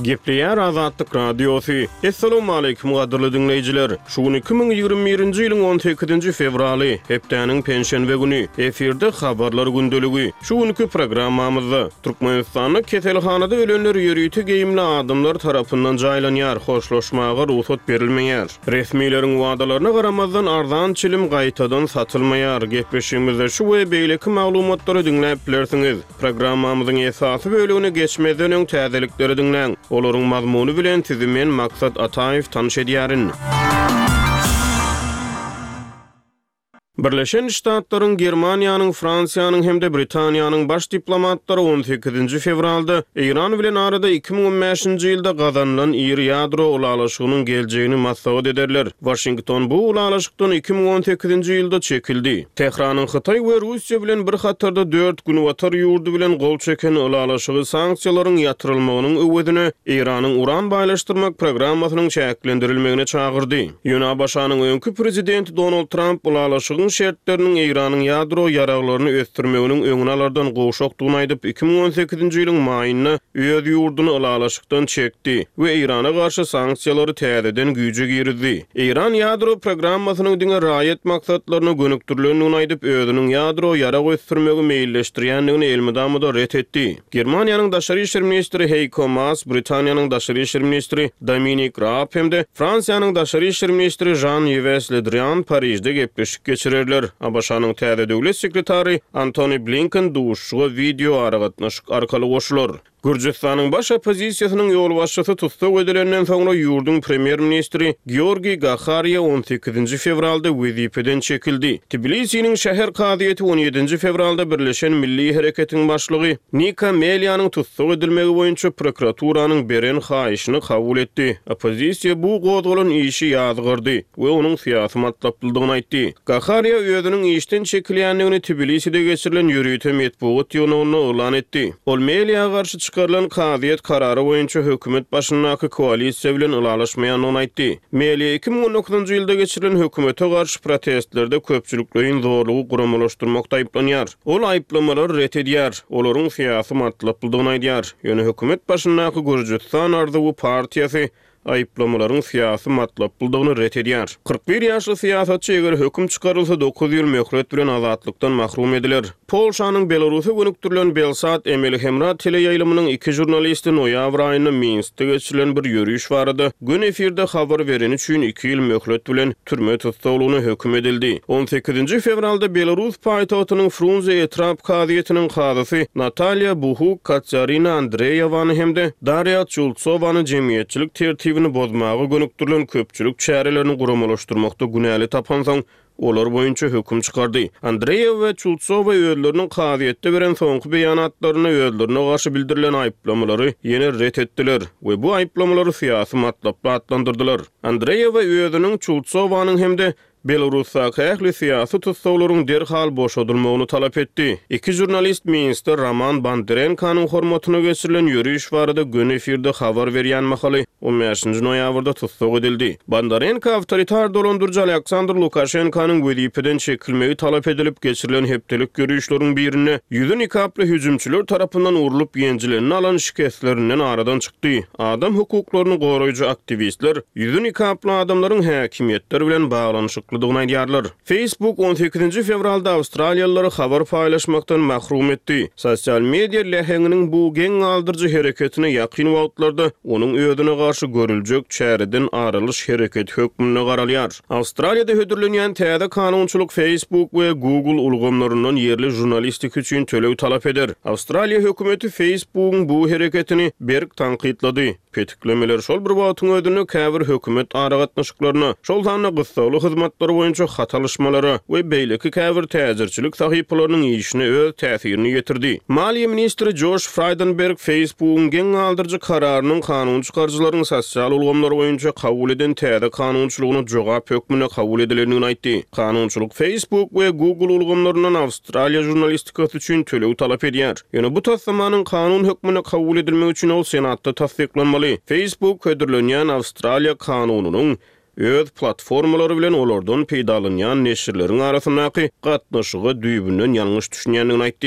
Gepleýär Azatlyk Radiosy. Essalawmaleýkim gadyrly diňleýjiler! Şu gün 2021-nji ýylyň on sekizinji fewraly, hepdäniň penşenbe güni. Efirde Habarlar gündeligi. Şu günki programmamyzda, Türkmenistanda keselhanada ölenler ýörite geýimli adamlar tarapyndan jaýlanýar, hoşlaşmaga rugsat berilmeýär. Resmileriň wadalaryna garamazdan, arzan çilim gaýtadan satylmaýar. Gepleşigimizde şu we beýleki maglumatlary diňläp bilersiňiz. Programmamyzyň esasy bölegine geçmezden öň täzelikleri diňläň. Olaryň mazmuny bilen sizi men Maksat Ataýew tanyş edýärin. Birleşen Ştatlaryň, Germaniýanyň, Fransiýanyň hem-de Britaniýanyň baş diplomatlary on sekizinji fewralda Eýran bilen arada 2015-nji ýylda gazanylan iri ýadro ylalaşygynyň geljegini maslahat ederler. Waşington bu ylalaşykdan 2018-nji ýylda çekildi. Tähranyň Hytaý we Russiýa bilen bir hatarda dört Günbatar ýurdy bilen gol çeken ylalaşygy sanksiýalaryň ýatyrylmagynyň öwezine Eýranyň uran baýlaşdyrmak programmasynyň çäklendirilmegine çagyrdy. Ýöne ABŞ-nyň öňki prezidenti Donald Tramp ylalaşygyň şertleriniň Eýranyň ýadro ýaraglaryny ösdürmeginiň öňüni alardan gowşakdygyny aýdyp, 2018-nji ýylyň maýynda öz ýurduny ylalaşykdan çekdi we Eýrana garşy sanksiýalary täzeden güýje girizdi. Eýran ýadro programmasynyň diňe raýat maksatlaryna gönükdirilendigini aýdyp, özüniň ýadro ýarag ösdürmegi meýilleşdirýändigini elmydama-da ret etdi. Germaniýanyň daşary işler ministri Heýko Maas, Britaniýanyň daşary işler ministri Dominik Raab hem-de Fransiýanyň daşary işler ministri Žan-Ýwes Le Drian Parižde gepleşik geçirerler. ABŞ-nyň täze döwlet sekretary Antony Blinken duşuşyga wideoaragatnaşyk arkaly goşular. Gürjüstanyň baş oppozisiýasynyň ýolbaşçysy tussag edilenden soňra ýurduň premýer-ministri Georgiý Gahariýa on sekizinji fewralda wezipeden çekildi. Tbilisiniň şäher kazyýeti on ýedinji fewralda Birleşen Milli Hereketiň başlygy Nika Melianyň tussag edilmegi boýunça prokuraturanyň beren haýyşyny kabul etdi. Oppozisiýa bu gozgalan işi ýazgardy we onuň syýasy matlaplydygyny aýtdy. Gahariýa özüniň işden çekilýändigini Tbiliside geçirilen ýörite metbugat ýygnagynda yglan etdi. Ol Meliýa garşy çykarylan kazyýet karary boýunça hökümet başyndaky koalisiýa bilen ylalaşmaýandygyny aýtdy. Meliýa 2019-njy ýylda geçirilen hökümete garşy protestlerde köpçülikleýin zorlugy guramalaşdyrmakda aýyplanýar. Ol aýyplamalary ret edýär, olaryň syýasy matlaplydygyny aýdýar. Ýöne hökümet başyndaky Gürjüstan arzuwy partiýasy aýyplamalaryň syýasy matlaplydygyny ret edýär. 41 ýaşly syýasatçy eger höküm çykarylsa dokuz ýyl möhlet bilen azatlykdan mahrum ediler. Polşanyň Belarusa gönükdirilen Belsat emeli hemra teleýaýlymynyň iki žurnalisti noýabr aýynda Minskde geçirilen bir ýöriş barada göni efirde habar bereni üçin iki ýyl möhlet bilen türme tussaglygyna höküm edildi. On sekizinji fewralda Belarus paýtagtynyň Frunze etrap kazyýetiniň kazysy Natalýa Buhuk Katsiarina Andreýewany hem-de Darýa Çultsowany jemgyýetçilik tertibini bozmaga gönükdirilen köpçülik çärelerini guramalaşdyrmakda günäli tapansoň, olar boýunça höküm çykardy. Andreýewa we Çultsowa özleriniň kazyýetde beren soňky beýanatlarynda özlerine garşy bildirilen aýyplamalary ýene ret etdiler we bu aýyplamalary syýasy matlaply atlandyrdylar. Andreýewa özüniň, Çultsowanyň hem-de Belarusdaky ähli syýasy tussaglaryň derhal boşadylmagyny talap etdi. Iki žurnalist Minskde Roman Bondarenkonyň hormatyna geçirilen ýöriş barada göni efirde habar berýän mahaly on bäşinji noýabrda tussag edildi. Bondarenko awtoritar dolandyryjy Aleksandr Lukaşenkonyň wezipeden çekilmegi talap edilip geçirilen hepdelik ýörişleriň birinde ýüzi nikaply hüjümçiler tarapyndan urlup ýenjilenini alan şikeslerinden aradan çykdy. Adam hukuklaryny goraýjy aktiwistler ýüzi nikaply adamlaryň häkimiýetler bilen baglanyşyklydygyny aýdýarlar. Facebook on sekizinji fewralda awstraliýalylary habar paýlaşmakdan mahrum etdi. Sosial media läheňiniň bu geň galdyryjy hereketine ýakyn wagtlarda onuň özüne garşy görüljek çäreden ar alyş hereketi hökmünde garalýar. Awstraliýada hödürlenýän täze kanunçylyk Facebook we Google ulgamlaryndan ýerli žurnalistika üçin töleg talap eder. Awstraliýa hökümeti Facebook-yň bu hereketini berk tankytlady. Petiklemeler şol bir wagtyň özünde käbir hökümet aragatnaşyklaryna, şol sanda gyssagly hyzmatlar boýunça hat alyşmalara we beýleki käbir täjirçilik sahypalarynyň işine öz täsirini ýetirdi. Maliýe ministri Joş Fraýdenberg Facebook-yň geň galdyryjy kararynyň kanun çykaryjylaryň sosial ulgamlar boýunça kabul eden täze kanunçylygyna jogap hökmünde kabul edilendigini aýtdy. Kanunçylyk Facebook we Google ulgamlaryndan Awstraliýa žurnalistikasy üçin töleg talap edýär. Ýöne bu taslamanyň kanun hökmünde kabul edilmegi üçin ol Senatda tassyklanmaly. Facebook hödürlenýän Awstraliýa kanunynyň öz platformalary bilen olardan peýdalanýan neşirleriň arasyndaky gatnaşyga düýbünden ýalňyş düşünýändigini aýtdy.